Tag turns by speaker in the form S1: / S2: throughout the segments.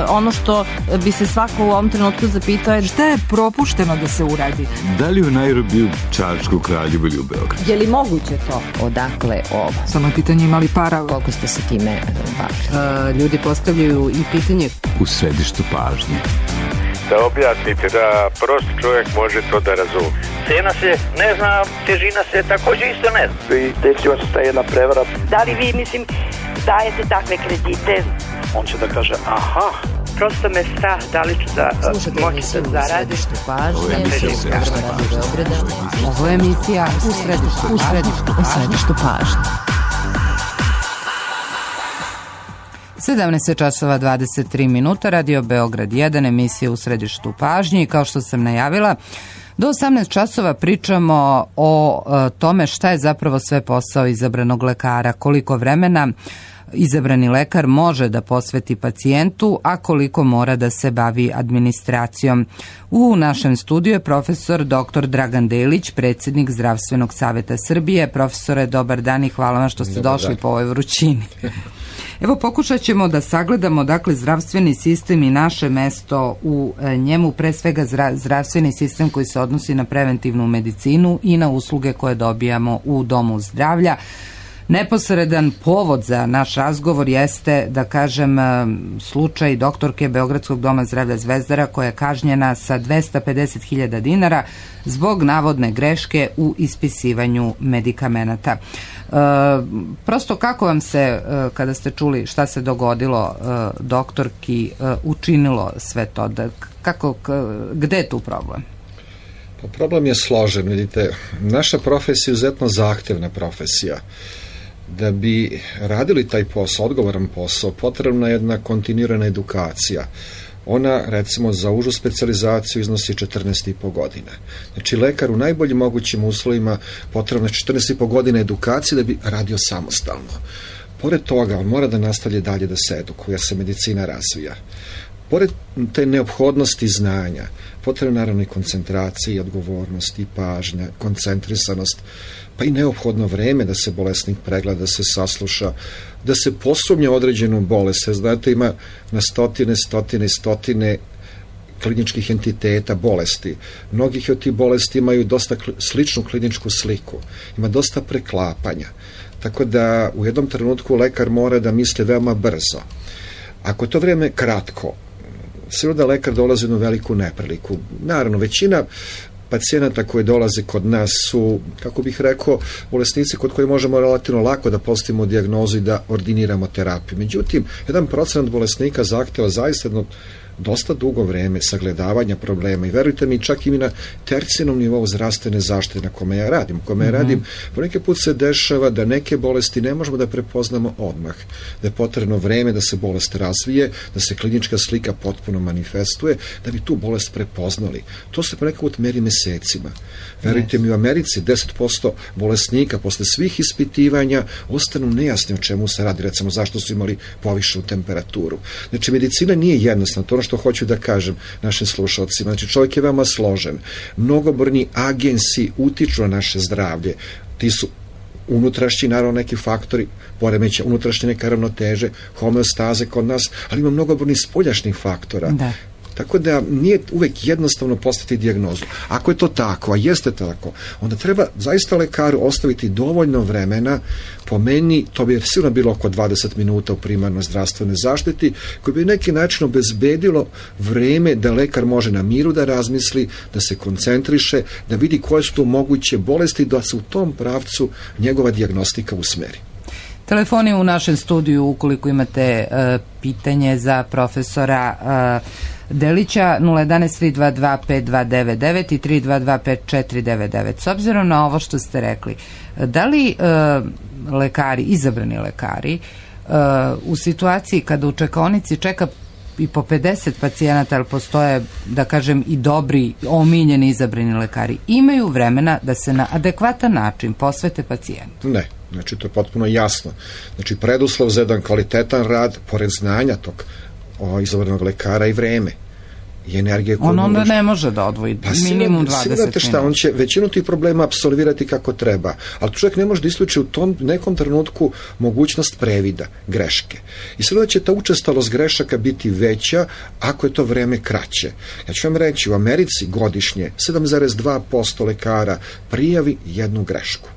S1: ono što bi se svako u ovom trenutku zapitao je
S2: šta je propušteno da se uradi?
S3: Da li u Nairobiju, Čačku, Kraljevu ili u Beogradu?
S1: Je li moguće to?
S4: Odakle ovo?
S2: Samo je pitanje imali para.
S4: Koliko ste se time bavili?
S2: Ljudi postavljaju i pitanje
S3: u središtu pažnje.
S5: Da objasnite da prosti čovjek može to da razumije.
S6: Cena se ne zna, težina se također isto ne zna.
S7: I desila se ta jedna prevara.
S8: Da li vi, dajete takve kredite?
S7: On će da kaže, aha.
S8: Prosto me strah da li ću da moći da zaradim.
S2: Ovo je emisija u središtu pažnje. 17 časova 23 minuta, Radio Beograd 1, emisija u središtu pažnje i kao što sam najavila, do 18 časova pričamo o tome šta je zapravo sve posao izabranog lekara, koliko vremena izabrani lekar može da posveti pacijentu, a koliko mora da se bavi administracijom. U našem studiju je profesor dr. Dragan Delić, predsjednik Zdravstvenog saveta Srbije. Profesore, dobar dan i hvala vam što ste došli po ovoj vrućini. Evo, pokušat ćemo da sagledamo, dakle, zdravstveni sistem i naše mesto u njemu, pre svega zdravstveni sistem koji se odnosi na preventivnu medicinu i na usluge koje dobijamo u domu zdravlja. Neposredan povod za naš razgovor jeste, da kažem, slučaj doktorke Beogradskog doma zdravlja Zvezdara koja je kažnjena sa 250.000 dinara zbog navodne greške u ispisivanju medikamenata. Prosto kako vam se, kada ste čuli šta se dogodilo doktorki, učinilo sve to? Gde je tu problem?
S9: Pa problem je složen, vidite, naša profesija je izuzetno zahtevna profesija. Da bi radili taj posao, odgovoran posao, potrebna je jedna kontinuirana edukacija. Ona, recimo, za užu specijalizaciju iznosi 14,5 godina. Znači, lekar u najboljim mogućim uslovima potrebna je 14,5 godina edukacije da bi radio samostalno. Pored toga, on mora da nastavlja dalje da se edukuje, jer se medicina razvija. Pored te neophodnosti znanja, potrebna naravno i koncentracija, i odgovornost, i pažnja, koncentrisanost, pa i neophodno vreme da se bolesnik pregleda, da se sasluša, da se posumnja određenu bolest. Znate, ima na stotine kliničkih entiteta bolesti. Mnogih od tih bolesti imaju dosta sličnu kliničku sliku. Ima dosta preklapanja. Tako da u jednom trenutku lekar mora da misli veoma brzo. Ako je to vreme kratko, sigurno da lekar dolazi u jednu veliku nepriliku. Naravno, većina pacijenata koji dolaze kod nas su, kako bih rekao, bolesnici kod koji možemo relativno lako da postavimo dijagnozu i da ordiniramo terapiju. Međutim, 1% bolesnika zahteva zaista jedno dosta dugo vreme sagledavanja problema i verujte mi, čak i mi na tercijalnom nivou zdravstvene zaštite na kome ja radim, poneki put se dešava da neke bolesti ne možemo da prepoznamo odmah, da je potrebno vreme da se bolest razvije, da se klinička slika potpuno manifestuje, da bi tu bolest prepoznali. To se ponekad put meri mesecima. Verujte mi, u Americi 10% bolesnika posle svih ispitivanja ostanu nejasni o čemu se radi, recimo zašto su imali povišenu temperaturu. Znači, medicina nije jednostavna, to ono što hoću da kažem našim slušalcima. Znači, čovjek je veoma složen. Mnogobrojni agensi utiču na naše zdravlje. Ti su unutrašnji, naravno, neki faktori, poremeća unutrašnje neke ravnoteže, homeostaze kod nas, ali ima mnogobrojnih spoljašnjih faktora. Da. Tako da nije uvek jednostavno postaviti dijagnozu. Ako je to tako, a jeste tako, onda treba zaista lekaru ostaviti dovoljno vremena, po meni to bi sigurno bilo oko 20 minuta u primarnoj zdravstvenoj zaštiti, koji bi neki način obezbedilo vreme da lekar može na miru da razmisli, da se koncentriše, da vidi koje su tu moguće bolesti, da se u tom pravcu njegova dijagnostika usmeri.
S2: Telefoni u našem studiju, ukoliko imate pitanje za profesora Delića, 011-322-5299 i 322-5499. S obzirom na ovo što ste rekli, da li lekari, izabrani lekari, u situaciji kada u čekaonici čeka i po 50 pacijenata, ali postoje, da kažem, i dobri, omiljeni izabrani lekari, imaju vremena da se na adekvatan način posvete pacijentu?
S9: Ne. Znači, to je potpuno jasno. Znači, preduslov za jedan kvalitetan rad, pored znanja tog izabranog lekara i vreme. i energije koju
S2: on onda ne može da odvoji minimum 20 minuta.
S9: Šta, on će većinu tih problema apsolvirati kako treba, ali čovjek ne može da isključi u tom nekom trenutku mogućnost previda, greške. I sada će ta učestalost grešaka biti veća ako je to vreme kraće. Ja ću vam reći, u Americi godišnje 7,2% lekara prijavi jednu grešku.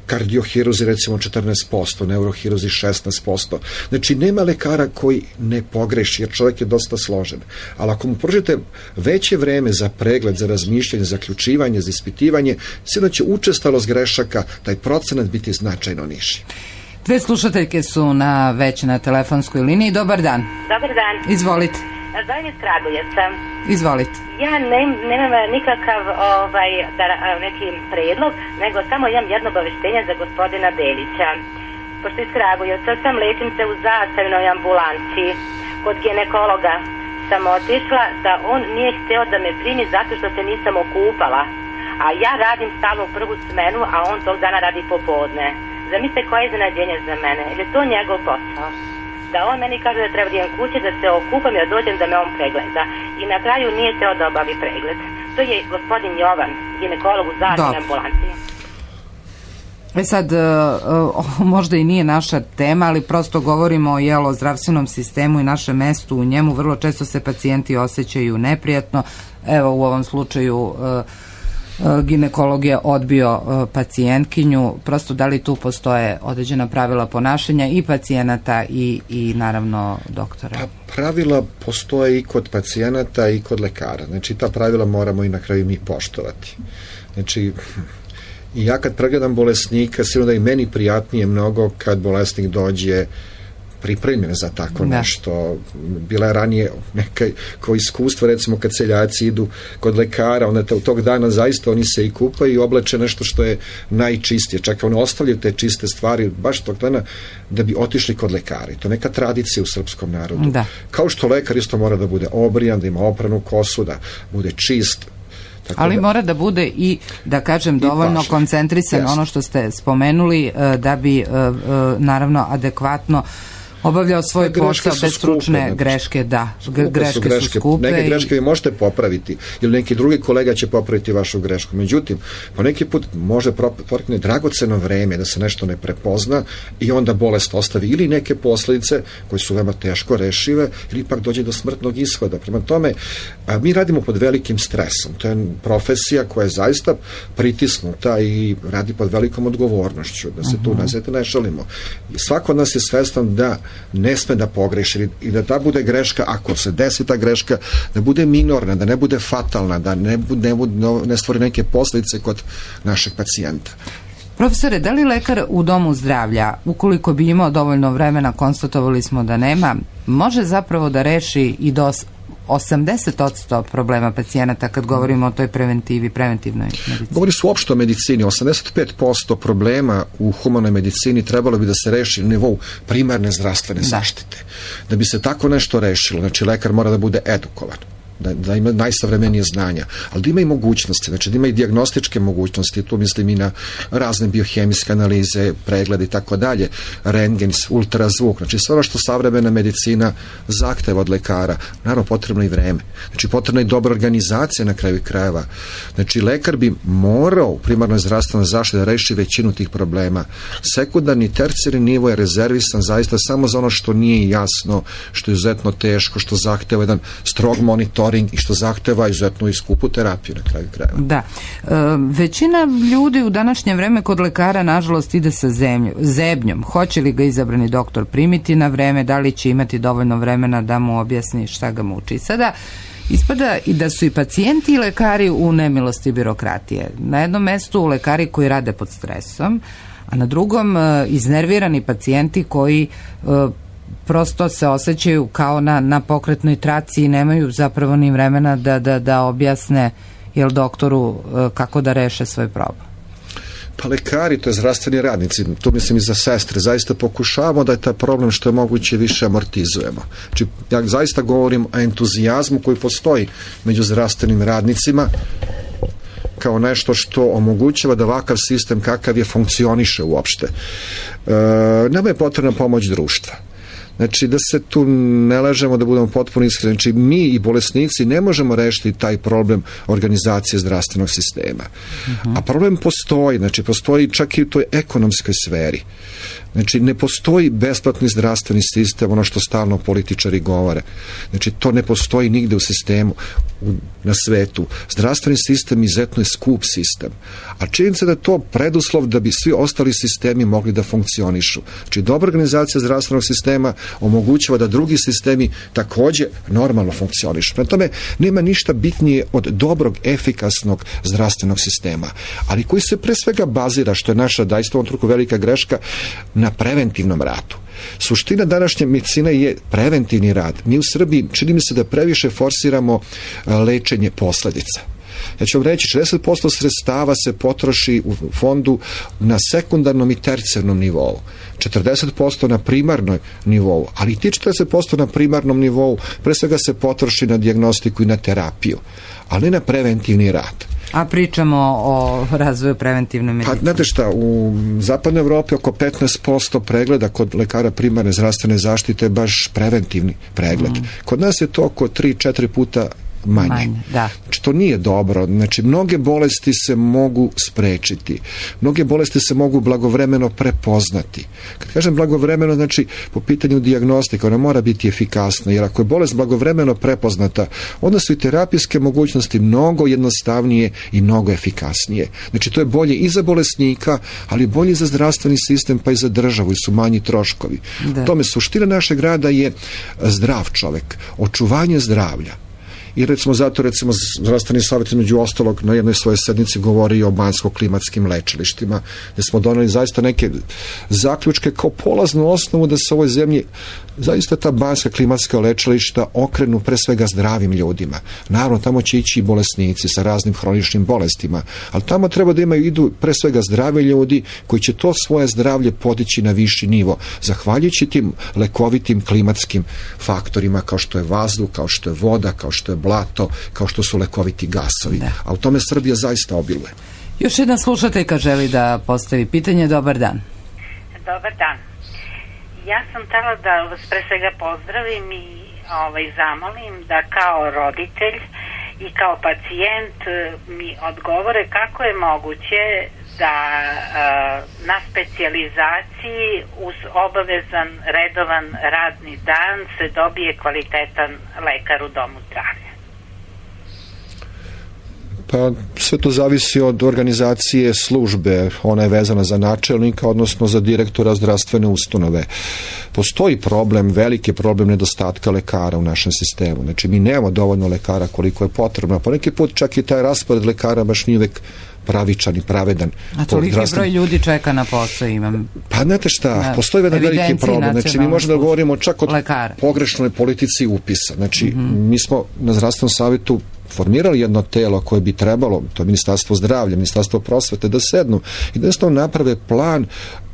S9: Kardiohiruzi recimo 14%, neurohiruzi 16%. Znači nema lekara koji ne pogreši, jer čovjek je dosta složen. Ali ako mu pružite veće vreme za pregled, za razmišljanje, za zaključivanje, za ispitivanje, sigurno će učestalost grešaka, taj procenat biti značajno niži.
S2: Dve slušateljke su već na telefonskoj liniji. Dobar dan.
S10: Dobar dan.
S2: Izvolite.
S10: Zovem iz Kragujevca.
S2: Izvolite.
S10: Ja nemam nikakav neki predlog, nego samo imam jedno obaveštenje za gospodina Belića. Pošto iz Kragujevca sam, lečim se u zastavnoj ambulanci. Kod ginekologa sam otišla da on nije hteo da me primi zato što se nisam okupala. A ja radim stalno u prvu smenu, a on tog dana radi popodne. Zamislite koje je iznenađenje za mene, jer je to njegov posao. Da on meni kaže da treba da idem kući, da se okupam i da dođem da me on pregleda. I na kraju nije teo da obavi pregled. To je gospodin Jovan, ginekolog u zaštitnoj ambulanci.
S2: Sad, možda i nije naša tema, ali prosto govorimo o zdravstvenom sistemu i našem mestu u njemu. Vrlo često se pacijenti osjećaju neprijatno. Evo, u ovom slučaju ginekolog je odbio pacijentkinju. Prosto da li tu postoje određena pravila ponašanja i pacijenata i naravno doktora?
S9: Pa pravila postoje i kod pacijenata i kod lekara. Znači ta pravila moramo i na kraju mi poštovati. Znači i ja kad pregledam bolesnika, sigurno da i meni prijatnije mnogo kad bolesnik dođe pripremljen za tako nešto. Bila je ranije kao iskustvo, recimo kad seljaci idu kod lekara, onda tog dana zaista oni se i kupaju i oblače nešto što je najčistije. Čak oni ostavljaju te čiste stvari baš tog dana da bi otišli kod lekara. I to neka tradicija u srpskom narodu. Da. Kao što lekar isto mora da bude obrijan, da ima opranu kosu, da bude čist.
S2: Ali mora da bude i, da kažem, dovoljno koncentrisan, ono što ste spomenuli, da bi naravno adekvatno obavljao svoj posao bez stručne greške, da. Greške su skupe.
S9: Neke greške vi možete popraviti, ili neki drugi kolega će popraviti vašu grešku. Međutim, po neki put može protekne dragoceno vreme da se nešto ne prepozna i onda bolest ostavi ili neke posljedice koje su veoma teško rešive ili ipak dođe do smrtnog ishoda. Prema tome, mi radimo pod velikim stresom. To je profesija koja je zaista pritisnuta i radi pod velikom odgovornošću. Da se tu ne šalimo. Svako od nas je svestan da ne sme da pogreši i da ta bude greška, ako se desi ta greška, da bude minorna, da ne bude fatalna, da ne stvori neke posljedice kod našeg pacijenta.
S2: Profesore, da li lekar u domu zdravlja, ukoliko bi imao dovoljno vremena, konstatovali smo da nema, može zapravo da reši i do 80% problema pacijenata kad govorimo o toj preventivnoj medicini?
S9: Govori se uopšte o medicini. 85% problema u humanoj medicini trebalo bi da se reši na nivou primarne zdravstvene zaštite. Da bi se tako nešto rešilo, znači lekar mora da bude edukovan, da ima najsavremenije znanja, ali da ima i mogućnosti, znači da ima i dijagnostičke mogućnosti, tu mislim i na razne biohemijske analize, preglede i tako dalje, rentgen, ultrazvuk, znači sve ono što savremena medicina zahteva od lekara. Naravno, potrebno i vreme. Znači, potrebna je dobra organizacija na kraju krajeva. Znači, lekar bi morao u primarnoj zdravstvenoj zaštiti da reši većinu tih problema. Sekundarni, tercijarni nivo je rezervisan zaista samo za ono što nije jasno, što je izuzetno teško, što zahteva jedan strog monitor i što zahteva izuzetno i skupu terapiju na kraju krajeva.
S2: Da. Većina ljudi u današnje vreme kod lekara nažalost ide sa zebnjom. Hoće li ga izabrani doktor primiti na vreme, da li će imati dovoljno vremena da mu objasni šta ga muči. Sada ispada i da su i pacijenti i lekari u nemilosti birokratije. Na jednom mestu lekari koji rade pod stresom, a na drugom iznervirani pacijenti koji prosto se osjećaju kao na pokretnoj traci i nemaju zapravo ni vremena da objasne doktoru kako da reše svoj problem.
S9: Pa lekari, to je zdravstveni radnici, tu mislim i za sestre, zaista pokušavamo da je taj problem što je moguće više amortizujemo. Znači, ja zaista govorim o entuzijazmu koji postoji među zdravstvenim radnicima kao nešto što omogućava da ovakav sistem kakav je funkcioniše uopšte. Nama je potrebna pomoć društva. Znači, da se tu ne lažemo, da budemo potpuno iskreni. Znači, mi i bolesnici ne možemo rešiti taj problem organizacije zdravstvenog sistema. A problem postoji, znači, postoji čak i u toj ekonomskoj sferi. Znači, ne postoji besplatni zdravstveni sistem, ono što stalno političari govore. Znači, to ne postoji nigde u sistemu na svetu. Zdravstveni sistem izuzetno je skup sistem. A činjenica da je to preduslov da bi svi ostali sistemi mogli da funkcionišu. Znači, dobra organizacija zdravstvenog sistema omogućava da drugi sistemi takođe normalno funkcionišu. Prema tome, nema ništa bitnije od dobrog, efikasnog zdravstvenog sistema, ali koji se pre svega bazira, što je naša daista u ovom trenutku velika greška, na preventivnom radu. Suština današnje medicine je preventivni rad. Mi u Srbiji, čini mi se da previše forsiramo lečenje posledica. Ja ću vam reći, 60% sredstava se potroši u fondu na sekundarnom i tercijarnom nivou, 40% na primarnom nivou, ali i ti 40% na primarnom nivou pre svega se potroši na dijagnostiku i na terapiju, ali ne na preventivni rad.
S2: A pričamo o razvoju preventivne medicine.
S9: Pa, znate šta, u zapadnoj Evropi oko 15% pregleda kod lekara primarne zdravstvene zaštite je baš preventivni pregled. Kod nas je to oko 3-4 puta manje.
S2: Da.
S9: Znači, to nije dobro. Znači, mnoge bolesti se mogu sprečiti. Mnoge bolesti se mogu blagovremeno prepoznati. Kad kažem blagovremeno, znači, po pitanju dijagnostika, ona mora biti efikasna, jer ako je bolest blagovremeno prepoznata, onda su i terapijske mogućnosti mnogo jednostavnije i mnogo efikasnije. Znači, to je bolje i za bolesnika, ali bolje i za zdravstveni sistem, pa i za državu, i su manji troškovi. Tome suština našeg rada je zdrav čovek, očuvanje zdravlja. I recimo zdravstveni savjet među ostalog na jednoj svojoj sednici govori o banjsko-klimatskim lečilištima, gde smo doneli zaista neke zaključke kao polaznu osnovu da se u ovoj zemlji zaista ta banjska klimatska lečilišta okrenu pre svega zdravim ljudima. Naravno, tamo će ići i bolesnici sa raznim hroničnim bolestima, ali tamo treba da idu pre svega zdravi ljudi koji će to svoje zdravlje podići na viši nivo, zahvaljujući tim lekovitim klimatskim faktorima kao što je vazduh, kao što je voda, kao što je blato, kao što su lekoviti gasovi. A u tome Srbija zaista obiluje.
S2: Još jedna slušateljka želi da postavi pitanje. Dobar dan.
S10: Dobar dan. Ja sam htjela da vas pre svega pozdravim i zamolim da kao roditelj i kao pacijent mi odgovore kako je moguće da na specijalizaciji uz obavezan redovan radni dan se dobije kvalitetan lekar u domu zdravlja.
S9: Pa sve to zavisi od organizacije službe, ona je vezana za načelnika, odnosno za direktora zdravstvene ustanove. Postoji problem, veliki problem nedostatka lekara u našem sistemu. Znači, mi nemamo dovoljno lekara koliko je potrebno. Po neki put čak i taj raspored lekara baš nije uvek pravičan i pravedan.
S2: A toliki broj ljudi čeka na posao imam.
S9: Pa znate šta, postoji jedan veliki problem. Znači, mi možemo da govorimo čak o pogrešnoj politici upisa. Znači, mi smo na zdravstvenom savjetu formirali jedno telo koje bi trebalo, to je Ministarstvo zdravlja, Ministarstvo prosvete, da sednu i da jednostavno naprave plan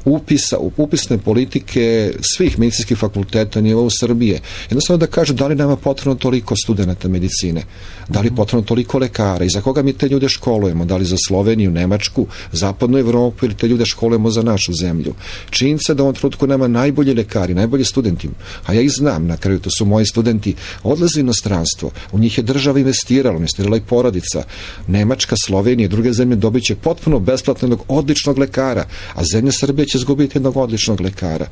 S9: upisa, upisne politike svih medicinskih fakulteta na nivou Srbije. Jednostavno da kaže da li nama potrebno toliko studenata medicine, da li potrebno toliko lekara i za koga mi te ljude školujemo, da li za Sloveniju, Nemačku, Zapadnu Evropu ili te ljude školujemo za našu zemlju. Činjenica da u ovom trenutku nama najbolji lekari, najbolji studenti, a ja ih znam, na kraju to su moji studenti, odlaze u inostranstvo, u njih je država investirala i porodica. Nemačka, Slovenija i druge zemlje dobit će potpuno besplatnog, odličnog lekara, a zemlja Srbije će izgubiti jednog odličnog lekara.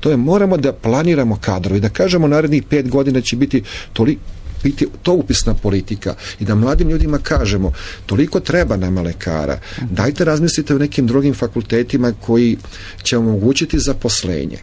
S9: To je, moramo da planiramo kadrovi, da kažemo narednih 5 godina će biti to upisna politika i da mladim ljudima kažemo toliko treba nama lekara, dajte razmislite o nekim drugim fakultetima koji će omogućiti zaposlenje.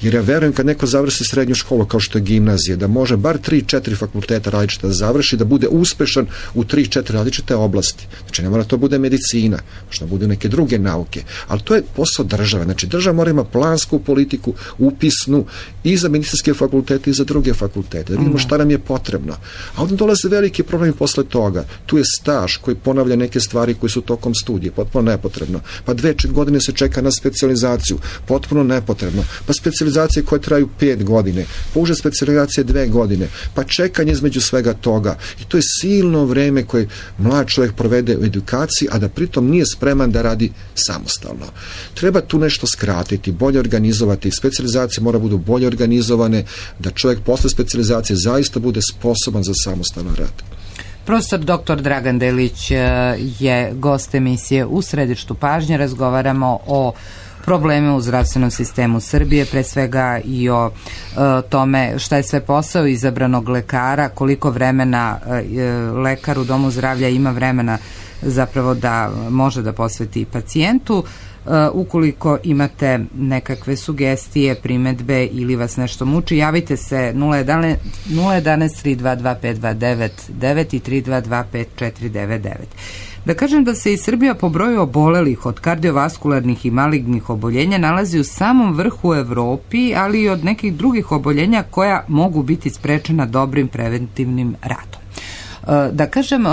S9: Jer ja verujem kad neko završi srednju školu kao što je gimnazija, da može bar 3-4 fakulteta različita da završi, da bude uspešan u 3-4 različite oblasti. Znači ne mora to bude medicina, možda bude neke druge nauke, ali to je posao države. Znači država mora ima plansku politiku, upisnu i za medicinske fakultete i za druge fakultete, da vidimo šta nam je potrebno. A onda dolaze veliki problemi posle toga. Tu je staž koji ponavlja neke stvari koji su tokom studije, potpuno nepotrebno. Pa 2 godine se čeka na specijalizaciju, potpuno nepotrebno. Pa specijalizacija specijalizacije koje traju 5 godine, pa uže specijalizacije 2 godine, pa čekanje između svega toga. I to je silno vreme koje mlad čovjek provede u edukaciji, a da pritom nije spreman da radi samostalno. Treba tu nešto skratiti, bolje organizovati, specijalizacije mora budu bolje organizovane, da čovjek posle specijalizacije zaista bude sposoban za samostalan rad.
S2: Profesor dr. Dragan Delić je gost emisije U središtu pažnje. Razgovaramo o probleme u zdravstvenom sistemu Srbije, pre svega i o tome šta je sve posao izabranog lekara, koliko vremena lekar u domu zdravlja ima vremena zapravo da može da posveti pacijentu. Ukoliko imate nekakve sugestije, primedbe ili vas nešto muči, javite se 011 322 5299 i 322 5499. Da kažem da se i Srbija po broju obolelih od kardiovaskularnih i malignih oboljenja nalazi u samom vrhu u Evropi, ali i od nekih drugih oboljenja koja mogu biti sprečena dobrim preventivnim radom. Da kažem,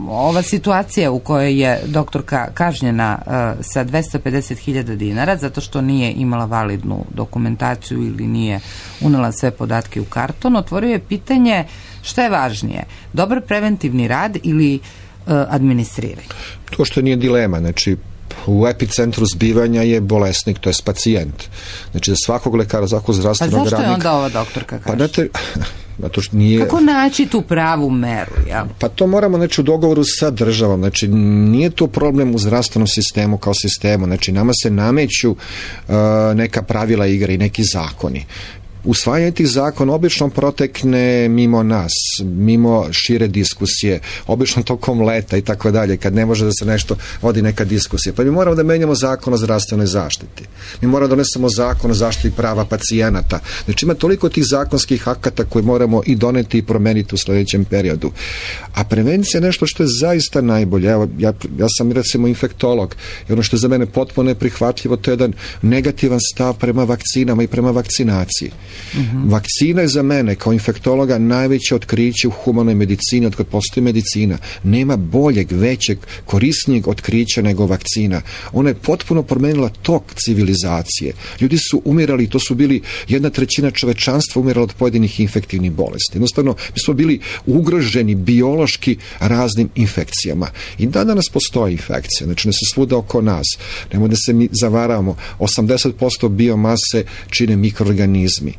S2: ova situacija u kojoj je doktorka kažnjena sa 250.000 dinara zato što nije imala validnu dokumentaciju ili nije unela sve podatke u karton, otvorio je pitanje šta je važnije, dobar preventivni rad ili administriranje?
S9: To što nije dilema, znači u epicentru zbivanja je bolesnik, to je pacijent. Znači za svakog lekara, svakog zdravstvenog radnika.
S2: Pa zašto je onda ova doktorka kaže?
S9: Pa nije...
S2: Kako naći tu pravu meru? Ja?
S9: Pa to moramo u dogovoru sa državom. Znači nije to problem u zdravstvenom sistemu kao sistemu. Znači nama se nameću neka pravila igre i neki zakoni. Usvajanje tih zakona obično protekne mimo nas, mimo šire diskusije, obično tokom leta i tako dalje, kad ne može da se nešto vodi neka diskusija. Pa mi moramo da menjamo zakon o zdravstvenoj zaštiti. Mi moramo da donesemo zakon o zaštiti prava pacijenata. Znači ima toliko tih zakonskih akata koje moramo i doneti i promeniti u sljedećem periodu. A prevencija je nešto što je zaista najbolje. Evo, ja sam recimo infektolog i ono što je za mene potpuno neprihvatljivo, to je jedan negativan stav prema vakcinama i prema vakcinaciji. Vakcina je za mene kao infektologa najveće otkriće u humanoj medicini od kad postoji medicina. Nema boljeg, većeg, korisnijeg otkrića nego vakcina. Ona je potpuno promenila tok civilizacije. Ljudi su umirali, to su bili 1/3 čovečanstva umirala od pojedinih infektivnih bolesti. Jednostavno, mi smo bili ugroženi biološki raznim infekcijama. I danas postoji infekcija, znači ne se svuda oko nas. Nemoj da se mi zavaravamo. 80% biomase čine mikroorganizmi.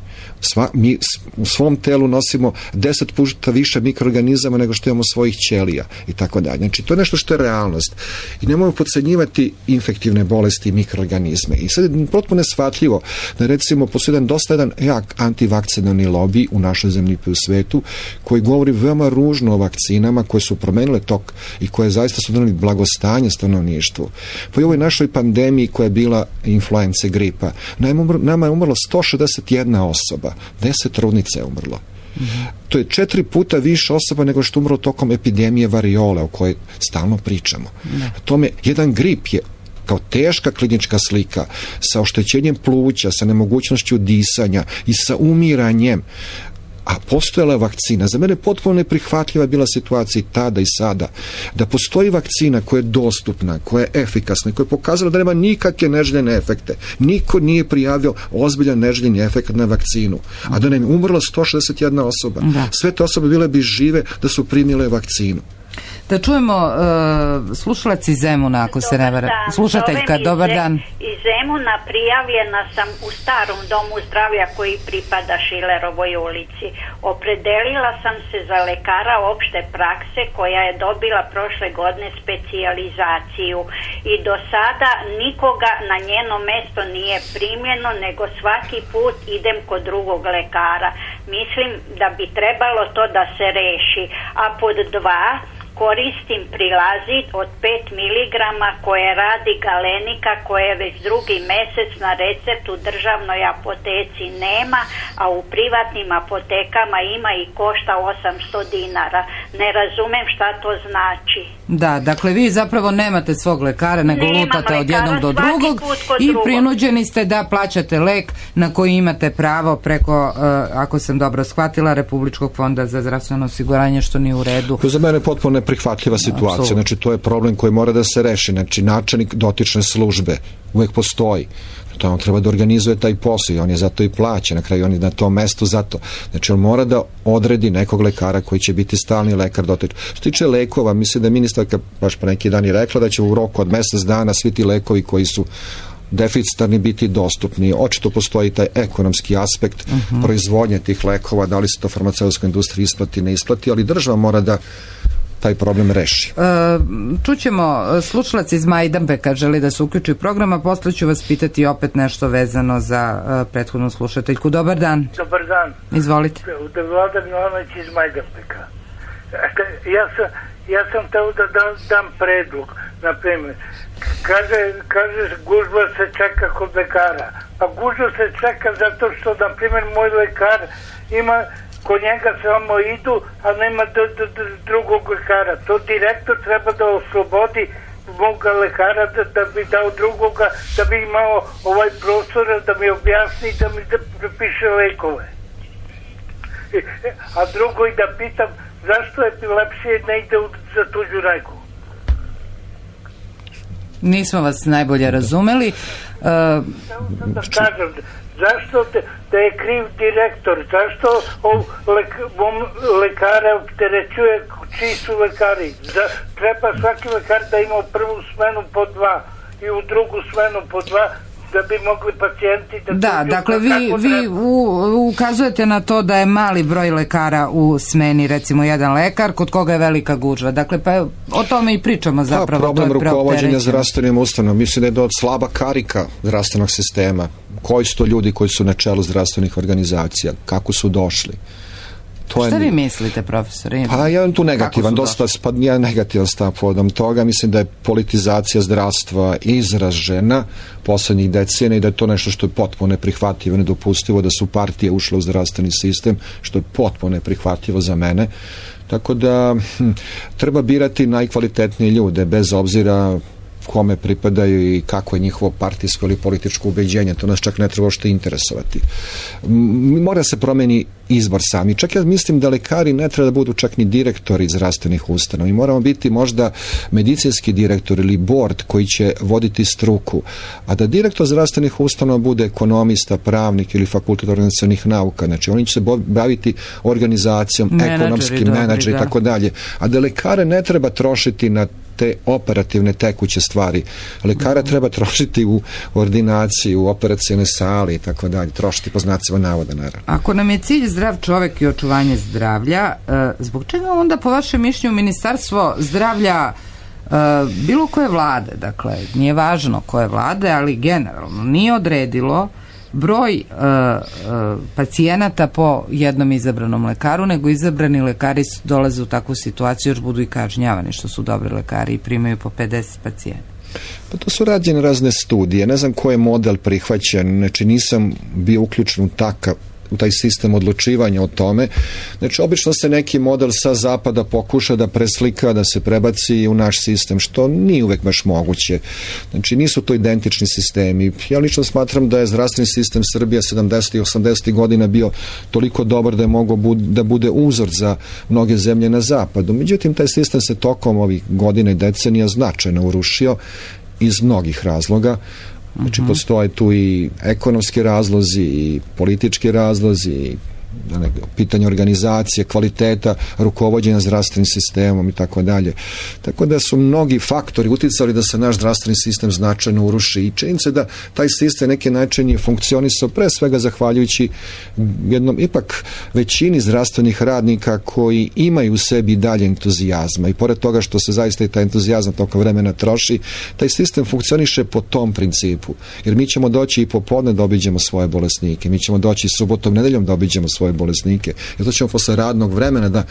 S9: Mi u svom telu nosimo 10 puta više mikroorganizama nego što imamo svojih ćelija i tako dalje. Znači, to je nešto što je realnost. I nemojmo podcenjivati infektivne bolesti i mikroorganizme. I sad je potpuno shvatljivo da recimo postoji jedan jak antivakcinalni lobby u našoj zemlji i u svetu koji govori veoma ružno o vakcinama koje su promenile tok i koje zaista su doneli blagostanje stanovništvu. Po ovoj našoj pandemiji koja je bila influence gripa, nama je umrlo 161 osoba, 10 trudnica je umrlo. To je 4 puta više osoba nego što umrlo tokom epidemije variole o kojoj stalno pričamo. Tome, jedan grip je kao teška klinička slika sa oštećenjem pluća, sa nemogućnošću disanja i sa umiranjem. A postojala je vakcina. Za mene potpuno neprihvatljiva je bila situacija i tada i sada. Da postoji vakcina koja je dostupna, koja je efikasna, koja je pokazala da nema nikakve neželjene efekte. Niko nije prijavio ozbiljan neželjeni efekt na vakcinu. A da nam je umrla 161 osoba. Sve te osobe bile bi žive da su primile vakcinu.
S2: Da čujemo slušalac iz Zemuna, ako se ne vara. Slušateljka, dobar dan.
S11: Iz Zemuna prijavljena sam u starom domu zdravlja koji pripada Šilerovoj ulici. Opredelila sam se za lekara opšte prakse koja je dobila prošle godine specijalizaciju i do sada nikoga na njeno mesto nije primljeno, nego svaki put idem kod drugog lekara. Mislim da bi trebalo to da se reši. A pod 2, koristim prilazit od 5 mg koje radi Galenika, koje već drugi mesec na recept u državnoj apoteci nema, a u privatnim apotekama ima i košta 800 dinara. Ne razumem šta to znači.
S2: Da, dakle vi zapravo nemate svog lekara, nego lutate od jednog do drugog i prinuđeni ste da plaćate lek na koji imate pravo preko, ako sam dobro shvatila, Republičkog fonda za zdravstveno osiguranje, što nije u redu.
S9: To za mene potpuno neprihvatljiva situacija. Znači, to je problem koji mora da se reši. Znači, načelnik dotične službe uvek postoji. To on treba da organizuje taj posao i on je zato i plaća, na kraju on je na tom mestu zato. Znači on mora da odredi nekog lekara koji će biti stalni lekar dotiče. Što tiče lekova, mislim da je ministarka baš po neki dan i rekla da će u roku od mesec dana svi ti lekovi koji su deficitarni biti dostupni. Očito postoji taj ekonomski aspekt proizvodnje tih lekova, da li se to farmaceutskoj industriji isplati, ne isplati, ali država mora da taj problem reši.
S2: Čućemo slušalac iz Majdanpeka želi da se uključi u program, a posle ću vas pitati opet nešto vezano za prethodnu slušateljku. Dobar dan.
S12: Dobar dan.
S2: Izvolite.
S12: Vlada Milanović iz Majdanpeka. Ja sam teo da dam predlog, na primjer. Kažeš gužba se čeka kod lekara. Pa gužba se čeka zato što, na primjer, moj lekar ima, kod njega samo idu, a nema drugog lekara. To direktor treba da oslobodi moga lekara da bi dao drugoga, da bi imao ovaj prostor, da mi objasni, da mi prepiše lekove. A drugo i da pitam, zašto epilepsija ne ide za tuđu rajku?
S2: Nismo vas najbolje razumeli.
S12: Da kažem, zašto da je kriv direktor, zašto lekare opterećuje, čiji su lekari? Treba svaki lekar da ima u prvu smenu po 2 i u drugu smenu po 2, da bi mogli pacijenti
S2: da dakle vi ukazujete na to da je mali broj lekara u smeni, recimo jedan lekar kod koga je velika gužva, dakle pa o tome i pričamo zapravo.
S9: Problem rukovođenja zdravstvenim ustanovama, mislim da je do slaba karika zdravstvenog sistema. Koji su to ljudi koji su na čelu zdravstvenih organizacija, kako su došli?
S2: Šta vi mislite, profesore?
S9: Pa ja tu negativan, ja negativan stav povodom toga. Mislim da je politizacija zdravstva izražena poslednjih decenija i da je to nešto što je potpuno neprihvatljivo, nedopustivo, da su partije ušle u zdravstveni sistem, što je potpuno neprihvatljivo za mene. Tako da treba birati najkvalitetnije ljude, bez obzira kome pripadaju i kako je njihovo partijsko ili političko ubeđenje. To nas čak ne treba što interesovati. Mora se promeni izbor sami. Čak ja mislim da lekari ne treba da budu čak ni direktori zdravstvenih ustanova. Mi moramo biti možda medicinski direktor ili board koji će voditi struku, a da direktor zdravstvenih ustanova bude ekonomista, pravnik ili fakultet organizacionih nauka. Znači oni će se baviti organizacijom, ekonomskim menadžeri i tako dalje. A da lekare ne treba trošiti na te operativne tekuće stvari. Lekara treba trošiti u ordinaciji, u operacijne sali i tako dalje. Trošiti po znacima navoda, naravno.
S2: Ako nam je cilj zdrav čovek i očuvanje zdravlja, zbog čega onda po vašem mišljenju Ministarstvo zdravlja bilo koje vlade, dakle, nije važno koje vlade, ali generalno nije odredilo broj pacijenata po jednom izabranom lekaru, nego izabrani lekari dolaze u takvu situaciju, još budu i kažnjavani što su dobri lekari i primaju po 50 pacijenta.
S9: Pa to su rađene razne studije, ne znam koji je model prihvaćen, znači nisam bio uključen u taj sistem odlučivanja o tome. Znači, obično se neki model sa zapada pokuša da preslika, da se prebaci u naš sistem, što nije uvek baš moguće. Znači, nisu to identični sistemi. Ja lično smatram da je zdravstveni sistem Srbija 70. i 80. godina bio toliko dobar da je mogao da bude uzor za mnoge zemlje na zapadu. Međutim, taj sistem se tokom ovih godina i decenija značajno urušio iz mnogih razloga. Znači, postoje tu i ekonomski razlozi i politički razlozi i pitanje organizacije, kvaliteta rukovođenja zdravstvenim sistemom i tako dalje. Tako da su mnogi faktori uticali da se naš zdravstveni sistem značajno uruši i čini se da taj sistem neki način je funkcionisao pre svega zahvaljujući jednom ipak većini zdravstvenih radnika koji imaju u sebi dalje entuzijazma i pored toga što se zaista i taj entuzijazam tokom vremena troši, taj sistem funkcioniše po tom principu. Jer mi ćemo doći i popodne da obiđemo svoje bolesnike, mi ćemo doći subotom, nedeljom da obiđemo svoje bolesnike. Jer to ćemo posle radnog vremena da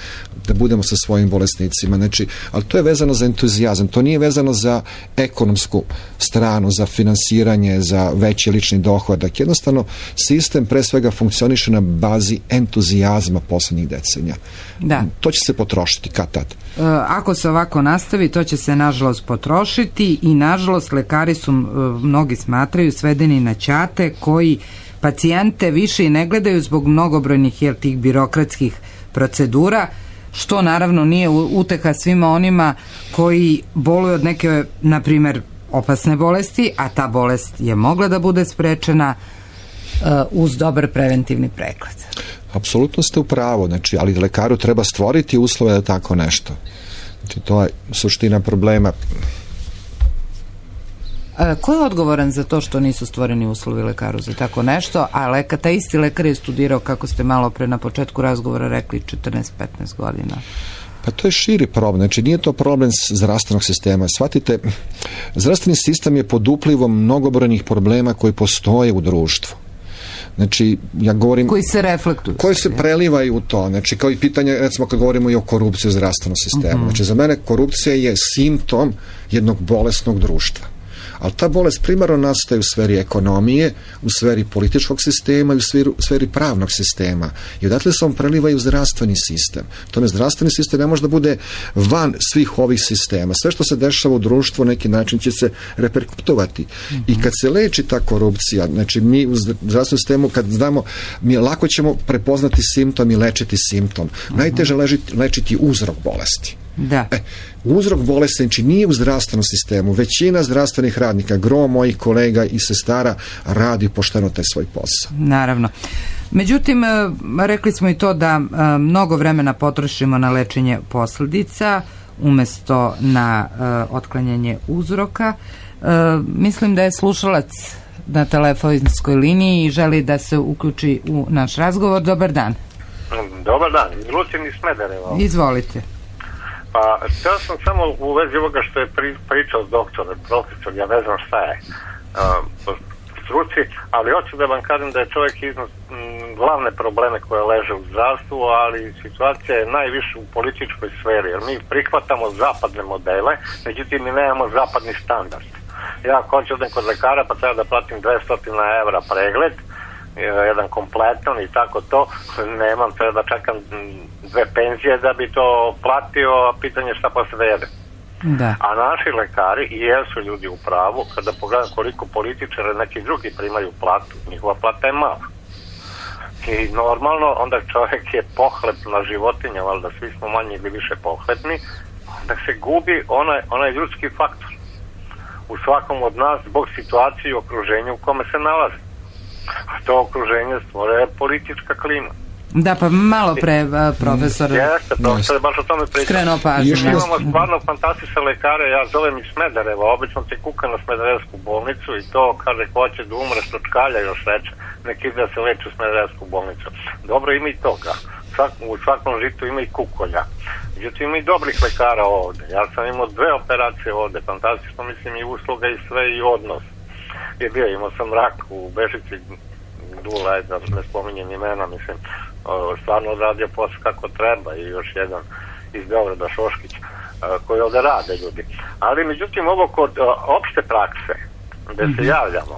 S9: budemo sa svojim bolesnicima. Znači, ali to je vezano za entuzijazam. To nije vezano za ekonomsku stranu, za finansiranje, za veći lični dohodak. Jednostavno, sistem pre svega funkcioniše na bazi entuzijazma poslednjih decenija.
S2: Da.
S9: To će se potrošiti kad tad.
S2: Ako se ovako nastavi, to će se nažalost potrošiti i nažalost lekari su, mnogi smatraju, svedeni na ćate koji pacijente više i ne gledaju zbog mnogobrojnih tih birokratskih procedura, što naravno nije uteha svima onima koji boluju od neke, na primjer, opasne bolesti, a ta bolest je mogla da bude sprečena uz dobar preventivni pregled.
S9: Apsolutno ste u pravu, znači, ali lekaru treba stvoriti uslove da tako nešto. Znači, to je suština problema.
S2: Ko je odgovoran za to što nisu stvoreni uslovi lekaru za tako nešto, a taj isti lekar je studirao, kako ste malo pre na početku razgovora rekli, 14-15 godina?
S9: Pa to je širi problem, znači nije to problem zdravstvenog sistema. Shvatite, zdravstveni sistem je pod uplivom mnogobrojnih problema koji postoje u društvu. Znači, ja govorim...
S2: Koji se reflektuju.
S9: Koji se prelivaju u to. Znači, kao i pitanje, recimo, kad govorimo i o korupciji u zdravstvenom sistemu. Znači, za mene korupcija je simptom jednog bolesnog društva. Ali ta bolest primarno nastaje u sferi ekonomije, u sferi političkog sistema i u sferi pravnog sistema. I odatle se on preliva i u zdravstveni sistem. Tome zdravstveni sistem ne može da bude van svih ovih sistema. Sve što se dešava u društvu, neki način će se reperkutovati. I kad se leči ta korupcija, znači mi u zdravstvenom sistemu, kad znamo, mi lako ćemo prepoznati simptom i lečiti simptom. Najteže lečiti uzrok bolesti.
S2: Da.
S9: Uzrok bolesti, znači nije u zdravstvenom sistemu. Većina zdravstvenih radnika, gro mojih kolega i sestara radi pošteno taj svoj posao.
S2: Naravno. Međutim, rekli smo i to da mnogo vremena potrošimo na lečenje posledica umesto na otklanjanje uzroka. Mislim da je slušalac na telefonskoj liniji i želi da se uključi u naš razgovor. Dobar dan.
S5: Dobar dan. Lucijan iz Smedereva.
S2: Izvolite.
S5: Pa, htio sam samo u vezi ovoga što je pričao doktor, profesor, ja ne znam šta je po struci, ali hoću da vam kažem da je čovjek iznad glavne probleme koje leže u zdravstvu, ali situacija je najviše u političkoj sferi, jer mi prihvatamo zapadne modele, međutim mi nemamo zapadni standard. Ja ako hoću odem kod lekara pa treba da platim 200 evra pregled, jedan kompletan i tako to, nemam, treba da čekam 2 penzije da bi to platio, a pitanje šta posle da jedem.
S2: Da.
S5: A naši lekari i jesu ljudi u pravu, kada pogledam koliko političara neki drugi primaju platu, njihova plata je mala. I normalno, onda čovjek je pohlepna životinja, valjda svi smo manje ili više pohlepni, onda se gubi onaj ljudski faktor u svakom od nas zbog situacije i okruženja u kome se nalazi. A to okruženje stvore politička klima.
S2: Da, pa malo pre profesor.
S5: Jeste, profesor, baš o tome pričam.
S2: Skrenuo pažnju.
S5: Imamo stvarno fantastične lekare, ja zovem iz Smedereva, obično te kuka na Smederevsku bolnicu i to kaže ko će da umre što čkalja još reče, neki da se leči u Smederevsku bolnicu. Dobro, ima i toga. U svakom žitu ima i kukolja. Međutim, ima i dobrih lekara ovde. Ja sam imao 2 operacije ovde, fantastično, mislim i usluga i sve i odnos. Imao sam rak u Bežici, Dula, da ne spominjem imena, mislim, stvarno odradio posao kako treba i još jedan iz Beograda, Šoškić, koji ovde rade ljudi. Ali, međutim, ovo kod opšte prakse, gde se javljamo,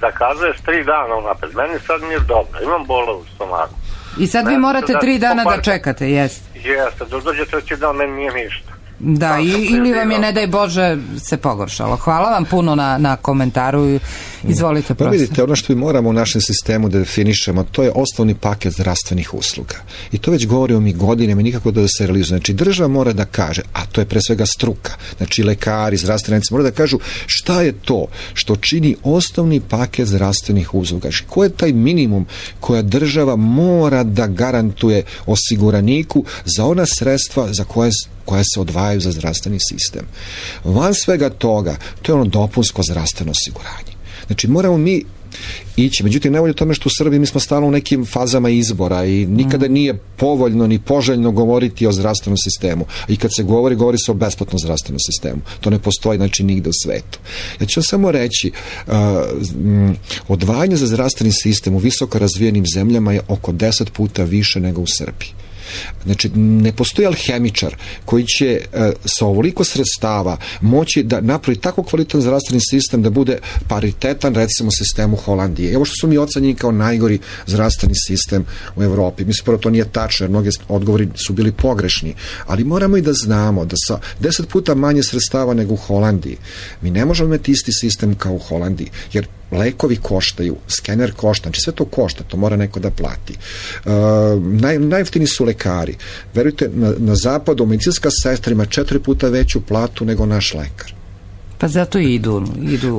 S5: zakazuješ 3 dana unapred. Meni sad nije dobro, imam bola u stomaku.
S2: I sad vi morate 3 dana da čekate, jeste?
S5: Jeste, dođe 3. dan, meni nije ništa.
S2: Da, ili vam je, ne daj Bože, se pogoršalo. Hvala vam puno na komentaru. Izvolite,
S9: profesor. Pa vidite, ono što mi moramo u našem sistemu da definišemo, to je osnovni paket zdravstvenih usluga. I to već govorimo mi godinama, nikako da se realizuje. Znači, država mora da kaže, a to je pre svega struka, znači lekari, zdravstvenici, mora da kažu šta je to što čini osnovni paket zdravstvenih usluga. Ko je taj minimum koja država mora da garantuje osiguraniku za ona sredstva za koja se odvajaju za zdravstveni sistem. Van svega toga, to je ono dopunsko zdravstveno osiguranje. Znači, moramo mi ići. Međutim, nevolje tome što u Srbiji mi smo stalno u nekim fazama izbora i nikada nije povoljno ni poželjno govoriti o zdravstvenom sistemu. I kad se govori se o besplatnom zdravstvenom sistemu. To ne postoji, znači, nigde u svetu. Ja ću samo reći, odvajanje za zdravstveni sistem u visoko razvijenim zemljama je oko 10 puta više nego u Srbiji. Znači, ne postoji alhemičar koji će sa ovoliko sredstava moći da napravi tako kvalitetan zdravstveni sistem da bude paritetan, recimo, sistemu Holandije. Evo što su mi ocenjeni kao najgori zdravstveni sistem u Evropi. Mislim, prvo to nije tačno, jer mnogi odgovori su bili pogrešni, ali moramo i da znamo da sa 10 puta manje sredstava nego u Holandiji mi ne možemo imati isti sistem kao u Holandiji, jer lekovi koštaju, skener košta, znači sve to košta, to mora neko da plati. Najjeftiniji su lekari. Verujte, na zapadu medicinska sestra ima 4 puta veću platu nego naš lekar.
S2: Pa zato idu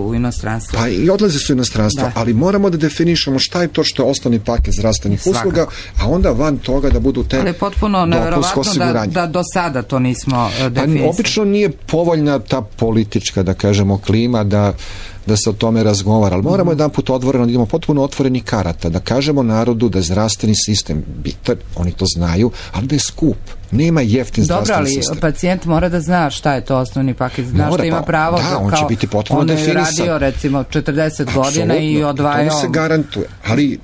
S2: u inostranstvo.
S9: Pa i odlaze su u inostranstvo, ali moramo da definišemo šta je to što je osnovni paket zdravstvenih usluga, a onda van toga da budu te
S2: ali je potpuno nevjerovatno da do sada to nismo definisali.
S9: Pa obično nije povoljna ta politička, da kažemo, klima da se o tome razgovara, ali moramo jedan put otvoreno, da idemo potpuno otvoreni karata, da kažemo narodu da je zdravstveni sistem bitan, oni to znaju, ali da je skup. Nema jeftin zdravstveni sistem.
S2: Dobro, ali pacijent mora da zna šta je to osnovni paket, zna što ima pravo.
S9: Da, on će biti potpuno definisan.
S2: On je radio recimo 40 godina i odvajao.
S9: To se garantuje, ali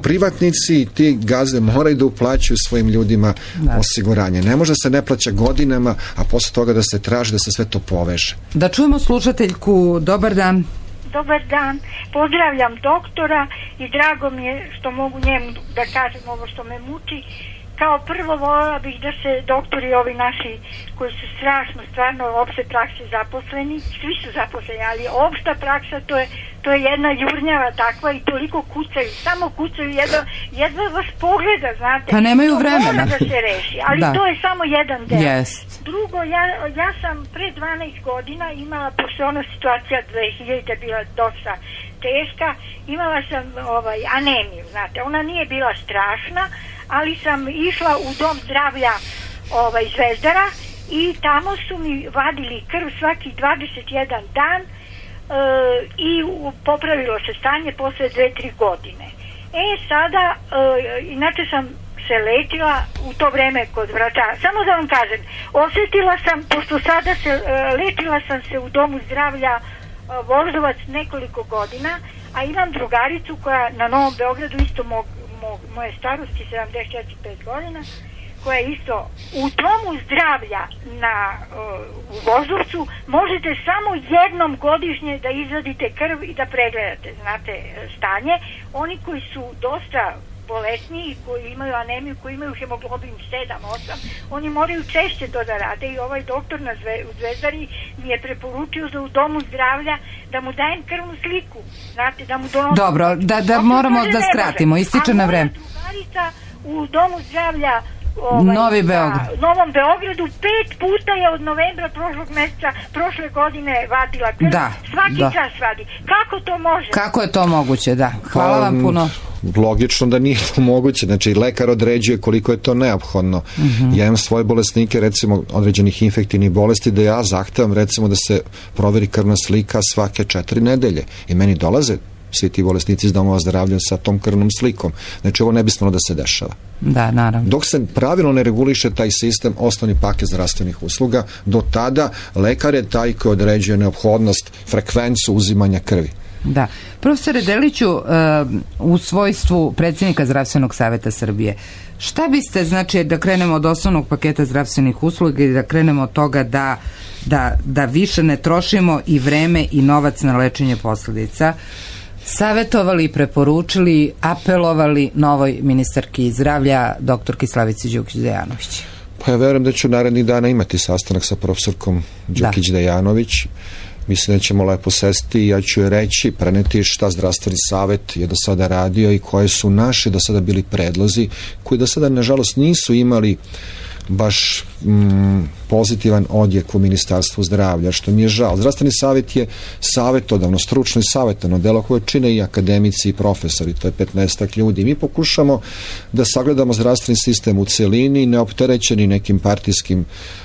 S9: privatnici i ti gazde moraju da uplaćuju svojim ljudima osiguranje. Ne može se ne plaća godinama, a posle toga da se traži da se sve to poveže.
S2: Da čujemo slušateljku. Dobar dan.
S13: Dobar dan, pozdravljam doktora i drago mi je što mogu njemu da kažem ovo što me muči. Kao prvo voljela bih da se doktori ovi naši koji su strašno, stvarno opšte prakse zaposleni, svi su zaposleni, ali opšta praksa to je jedna jurnjava takva i toliko kucaju, samo kucaju, jedva vas pogleda, znate.
S2: Pa nemaju vremena.
S13: Mora da se reši, ali to je samo jedan del.
S2: Jest.
S13: Drugo, ja sam pre 12 godina imala, pošto ona situacija 2000 bila dosta teška, imala sam anemiju, znate, ona nije bila strašna, ali sam išla u dom zdravlja Zvezdara i tamo su mi vadili krv svaki 21 dan i popravilo se stanje posle 2-3 godine. Sada, inače sam se lečila u to vreme kod vraća. Samo da vam kažem, osjetila sam, pošto sada lečila sam se u domu zdravlja Voždovac nekoliko godina, a imam drugaricu koja na Novom Beogradu isto moje starosti, 74-5 godina, koja je isto u domu zdravlja u Voždovcu možete samo jednom godišnje da izvadite krv i da pregledate, znate, stanje. Oni koji su dosta bolesniji, koji imaju anemiju, koji imaju hemoglobin 7-8, oni moraju češće to da rade i ovaj doktor u Zvezdari mi je preporučio da u domu zdravlja da mu dajem krvnu sliku, znate, da mu donosim.
S2: Dobro, da moramo da skratimo, ističe na vreme.
S13: A moja drugarica u domu zdravlja Novom Beogradu 5 puta je od novembra prošlog meseca prošle godine vadila krv. Svaki čas vadi. Kako to može?
S2: Kako je to moguće, da. Hvala vam puno.
S9: Logično da nije to moguće, znači lekar određuje koliko je to neophodno. Ja imam svoje bolesnike, recimo određenih infektivnih bolesti, da ja zahtevam recimo da se proveri krvna slika svake 4 nedelje i meni dolaze svi ti bolesnici iz domova zdravlja sa tom krvnom slikom. Znači ovo ne bi smelo da se dešava.
S2: Da, naravno.
S9: Dok se pravilno ne reguliše taj sistem, osnovni paket zdravstvenih usluga, do tada lekar je taj koji određuje neophodnost, frekvencu uzimanja krvi.
S2: Da. Profesore Deliću, u svojstvu predsjednika Zdravstvenog savjeta Srbije, šta biste, znači, da krenemo od osnovnog paketa zdravstvenih usluga i da krenemo od toga da više ne trošimo i vreme i novac na lečenje posljedica, savjetovali, preporučili, apelovali novoj ministarki zdravlja, doktorki Slavici Đukić-Dejanović?
S9: Pa ja verujem da ću narednih dana imati sastanak sa profesorkom Đukić-Dejanović. Mislim da ćemo lepo sesti i ja ću joj reći, preneti šta zdravstveni savjet je do sada radio i koje su naši do sada bili predlozi, koji do sada nažalost nisu imali baš pozitivan odjek u Ministarstvu zdravlja, što mi je žao. Zdravstveni savjet je savjetodavno, stručno i savjetodavno delo koje čine i akademici i profesori, to je 15 ljudi. Mi pokušamo da sagledamo zdravstveni sistem u celini, neopterećeni nekim partijskim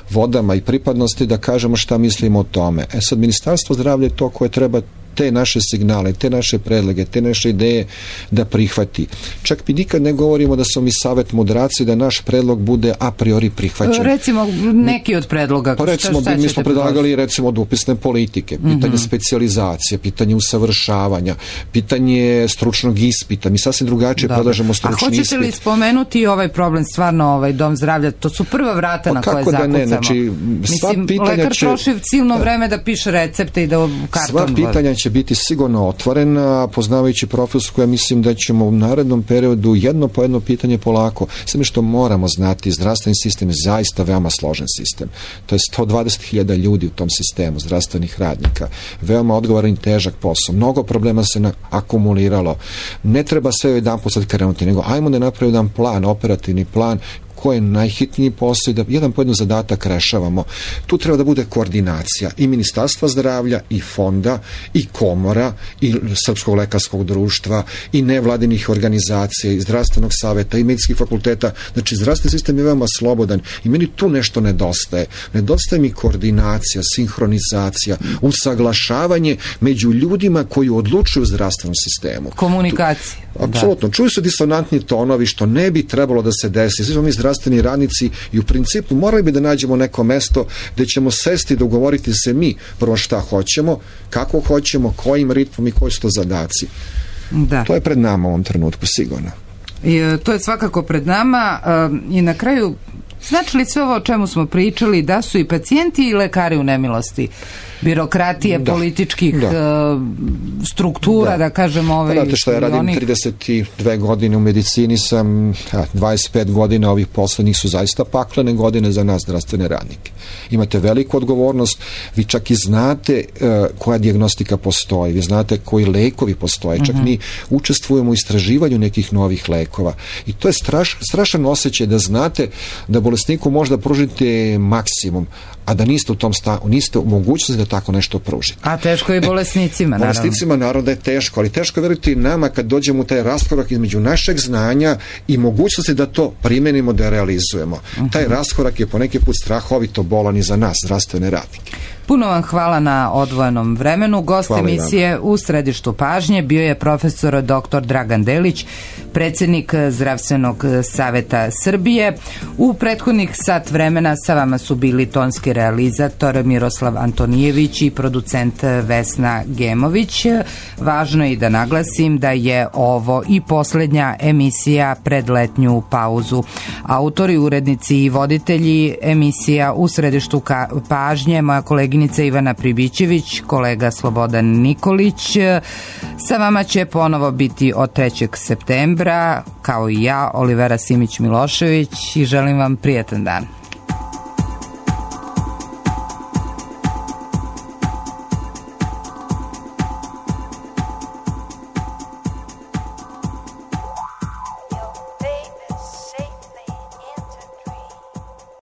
S9: vodama i pripadnosti, da kažemo šta mislimo o tome. Sad, Ministarstvo zdravlja je to koje treba te naše signale, te naše predloge, te naše ideje da prihvati. Čak mi nikad ne govorimo da smo mi savjet mudraci, da naš predlog bude a priori prihvaćen.
S2: Recimo, neki od predloga.
S9: Pa recimo, mi smo predlagali recimo od upisne politike, pitanje specijalizacije, pitanje usavršavanja, pitanje stručnog ispita. Mi sasvim drugačije predlažemo stručni ispit.
S2: A hoćete li spomenuti ovaj problem, stvarno dom zdravlja? To su prva vrata na koje zakucamo.
S9: Da ne, znači,
S2: lekar troši silno vreme da piše recepte i da karton.
S9: Sva pitanja će biti sigurno otvorena, poznavajući profesorsku, ja mislim da ćemo u narednom periodu jedno po jedno pitanje polako. Sve što moramo znati, zdravstveni sistem je zaista veoma složen sistem. To je 120.000 ljudi u tom sistemu, zdravstvenih radnika. Veoma odgovoran i težak posao. Mnogo problema se akumuliralo. Ne treba sve jedan put sad krenuti, nego ajmo da napravimo jedan plan, operativni plan ko je najhitniji posao i da jedan po jedan zadatak rešavamo. Tu treba da bude koordinacija i Ministarstva zdravlja i fonda i komora i Srpskog lekarskog društva i nevladinih organizacija i zdravstvenog saveta i medicinskih fakulteta. Znači, zdravstveni sistem je veoma slobodan i meni tu nešto nedostaje. Nedostaje mi koordinacija, sinhronizacija, usaglašavanje među ljudima koji odlučuju u zdravstvenom sistemu.
S2: Komunikacija.
S9: Apsolutno. Čuju se disonantni tonovi što ne bi trebalo da se desi. Svi smo mi zdravstveni radnici i u principu morali bi da nađemo neko mesto gde ćemo sesti i dogovoriti se mi prvo šta hoćemo, kako hoćemo, kojim ritmom i koji su to zadaci.
S2: Da.
S9: To je pred nama u ovom trenutku sigurno.
S2: To je svakako pred nama i na kraju, znači li sve ovo o čemu smo pričali da su i pacijenti i lekari u nemilosti birokratije, političkih struktura, da kažemo
S9: Znate što, ja radim 32 godine u medicini, sam 25 godina, ovih poslednjih su zaista paklene godine za nas zdravstvene radnike. Imate veliku odgovornost, vi čak i znate koja dijagnostika postoji, vi znate koji lekovi postoje, čak mi učestvujemo u istraživanju nekih novih lekova i to je strašan osjećaj da znate da bolesniku možda pružite maksimum, a da niste u tom niste u mogućnosti da tako nešto pružite.
S2: A teško je bolesnicima, naravno.
S9: Bolesnicima naravno da je teško, ali teško je, verujte, i nama kad dođemo u taj raskorak između našeg znanja i mogućnosti da to primenimo, da realizujemo. Taj raskorak je poneki put strahovito bolan i za nas, zdravstvene radnike.
S2: Puno vam hvala na odvojenom vremenu. Gost emisije u središtu pažnje bio je profesor dr. Dragan Delić, predsjednik Zdravstvenog saveta Srbije. U prethodnih sat vremena sa vama su bili tonski realizator Miroslav Antonijević i producent Vesna Gemović. Važno je i da naglasim da je ovo i posljednja emisija pred letnju pauzu. Autori, urednici i voditelji emisija u središtu pažnje, moja koleginica Ivana Pribićević, kolega Slobodan Nikolić. Sa vama će ponovo biti od 3. septembra, kao i ja, Olivera Simić-Milošević, i želim vam prijetan dan.